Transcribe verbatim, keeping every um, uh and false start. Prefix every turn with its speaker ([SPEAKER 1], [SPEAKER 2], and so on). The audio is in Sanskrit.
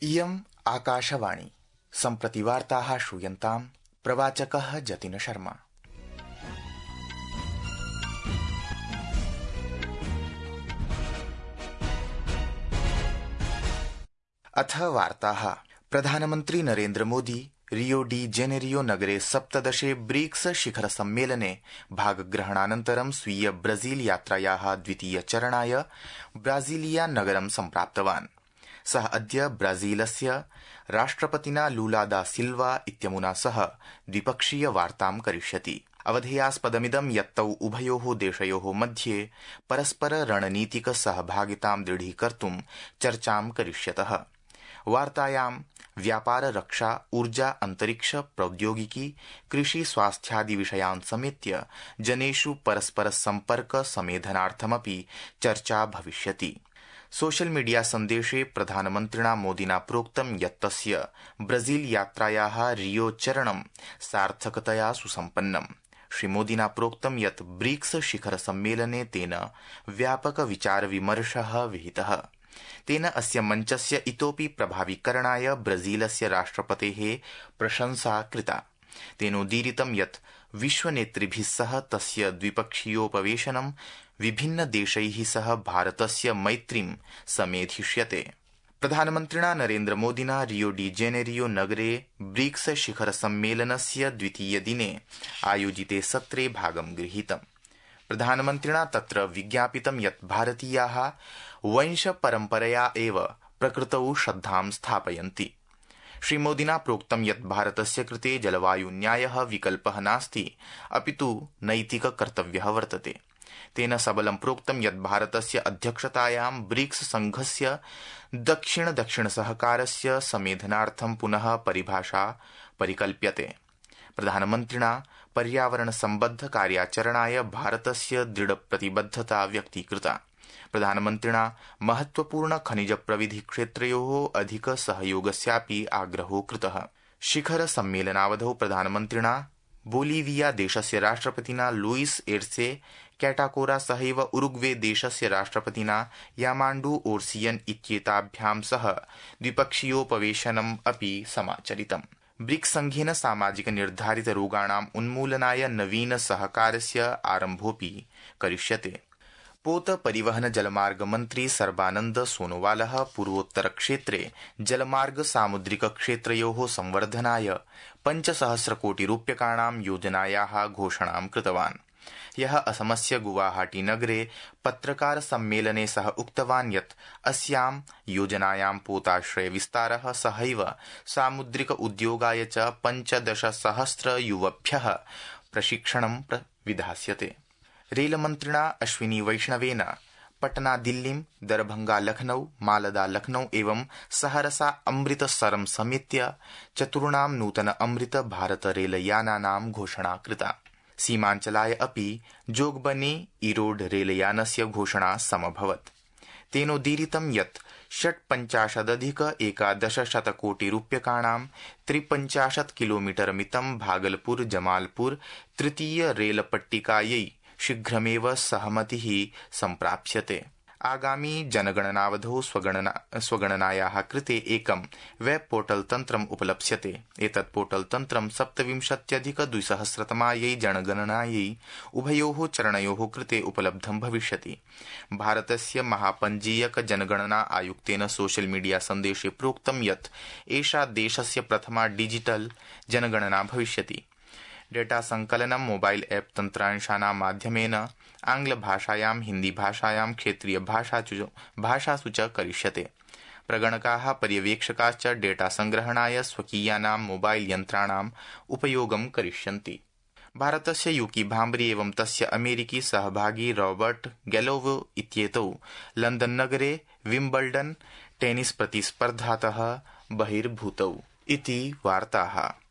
[SPEAKER 1] इयम् आकाशवाणी। सम्प्रति वार्ताः श्रूयन्ताम्। प्रवाचकः जतिन शर्मा। अथ वार्ताः। प्रधानमन्त्री Narendra Modi Rio de Janeiro नगरे सप्तदशे ब्रिक्स शिखर सम्मेलने भागग्रहणानन्तरं स्वीय ब्राजील यात्रायाः द्वितीय चरणाय ब्राजीलिया नगरं सम्प्राप्तवान्। सः अद्य ब्राजीलस्य राष्ट्रपतिना लूला दा सिल्वा इत्यमुना सह द्विपक्षीय वार्तां करिष्यति। अवधेयास्पदमिदं यत् तौ उभयोः देशयोः मध्ये परस्पर रणनीतिक सहभागितां दृढीकर्तुं चर्चां करिष्यतः। वार्तायां व्यापार, रक्षा, ऊर्जा, अंतरिक्ष, प्रौद्योगिकी, कृषि, स्वास्थ्यादि विषयान् समेत्य जनेषु परस्पर सम्पर्क समेधनार्थमपि चर्चा भविष्यति। सोशल मीडिया सन्देशे प्रधानमन्त्रिणा मोदिना प्रोक्तं यत् तस्य ब्राजील यात्रायाः रियो चरणं सार्थकतया सुसम्पन्नम्। श्रीमोदिना प्रोक्तं यत् ब्रिक्स शिखर सम्मेलने तेन व्यापक विचार विमर्शः विहितः। तेन अस्य मञ्चस्य इतोपि प्रभावीकरणाय ब्राजीलस्य राष्ट्रपतेः प्रशंसा कृता। तेनोदीरितं यत् विश्वनेतृभिः सह तस्य द्विपक्षीयोपवेशनं विभिन्न देशैः सह भारतस्य मैत्रीं समेधिष्यते। प्रधानमन्त्रिणा नरेन्द्र मोदिना रियो डी जेनेरियो नगरे ब्रिक्स शिखर सम्मेलनस्य द्वितीय दिने आयोजिते सत्रे भागं गृहीतम्। प्रधानमन्त्रिणा तत्र विज्ञापितं यत् भारतीयाः वंश परम्परया एव प्रकृतौ श्रद्धां स्थापयन्ति। श्रीमोदिना प्रोक्तं यत् भारतस्य कृते जलवायु न्यायः विकल्पः नास्ति, अपितु नैतिक कर्तव्यः वर्तते। तेन सबलं प्रोक्तं यत् भारतस्य अध्यक्षतायां ब्रिक्स संघस्य दक्षिण दक्षिण सहकारस्य समेधनार्थं पुनः परिभाषा परिकल्प्यते। प्रधानमन्त्रिणा पर्यावरण सम्बद्ध कार्याचरणाय भारतस्य दृढ प्रतिबद्धता व्यक्तीकृता। प्रधानमन्त्रिणा महत्वपूर्ण खनिज प्रविधि क्षेत्रयोः अधिक सहयोगस्यापि आग्रहो कृतः। शिखर सम्मेलनावधौ प्रधानमन्त्रिणा बोलिविया देशस्य राष्ट्रपतिना लुइस एर्से कैटाकोरा सहैव उरुग्वे देशस्य राष्ट्रपतिना यामाण्डू ओर्सियन इत्येताभ्यां सह द्विपक्षीयोपवेशनम् अपि समाचरितम्। ब्रिक्स संघेन सामाजिक निर्धारित रोगाणाम् उन्मूलनाय नवीन सहकारस्य आरम्भोऽपि करिष्यते। पोत परिवहन जलमार्ग मन्त्री सर्बानन्द सोनोवालः पूर्वोत्तर क्षेत्रे जलमार्ग सामुद्रिक क्षेत्रयोः संवर्धनाय पञ्चसहस्र कोटि रूप्यकाणां योजनायाः घोषणां कृतवान्। ह्यः असमस्य गुवाहाटी नगरे पत्रकार सम्मेलने सः उक्तवान् यत् अस्यां योजनायां पोताश्रय विस्तारः सहैव सामुद्रिक उद्योगाय च पञ्चदशसहस्र युवभ्यः प्रशिक्षणं विधास्यते। रेलमन्त्रिणा अश्विनी वैष्णवेन पटना दिल्लीं, दरभंगा लखनऊ, मालदा लखनऊ एवं सहरसा अमृतसरं समेत्य चतुर्णां नूतन अमृत भारत रेलयानानां घोषणा कृता। सीमाञ्चलाय अपि जोगबनी ईरोड रेलयानस्य घोषणा समभवत्। तेनोदीरितं यत् षट्पञ्चाशदधिक एकादशशत कोटि रूप्यकाणां त्रिपञ्चाशत् किलोमीटर मितं भागलपुर जमालपुर तृतीय रेलपट्टिकायै शीघ्रमेव सहमतिः सम्प्राप्स्यते। आगामी जनगणनावधौ स्वगणना स्वगणनायाः कृते एकं वेब पोर्टल तन्त्रम् उपलप्स्यते। एतत् पोर्टल तन्त्रं सप्तविंशत्यधिक द्विसहस्रतमायै जनगणनायै उभयोः चरणयोः कृते उपलब्धं भविष्यति। भारतस्य महापञ्जीयक जनगणना आयुक्तेन सोशल मीडिया सन्देशे प्रोक्तं यत् एषा देशस्य प्रथमा डिजिटल जनगणना भविष्यति। डेटा संकलनं मोबाइल ऐप तन्त्रांशानां माध्यमेन आंग्लभाषायां, हिन्दीभाषायां, क्षेत्रीय भाषासु भाषासु च करिष्यते। प्रगणकाः, पर्यवेक्षकाश्च डेटा संग्रहणाय स्वकीयानां मोबाइल यन्त्राणाम् उपयोगं करिष्यन्ति। भारतस्य यूकी भाम्बरी एवं तस्य अमेरिकी सहभागी रॉबर्ट गैलोव इत्येतौ लंदन नगरे विम्बल्डन टेनिस प्रतिस्पर्धातः बहिर्भूतौ। इति वार्ताः।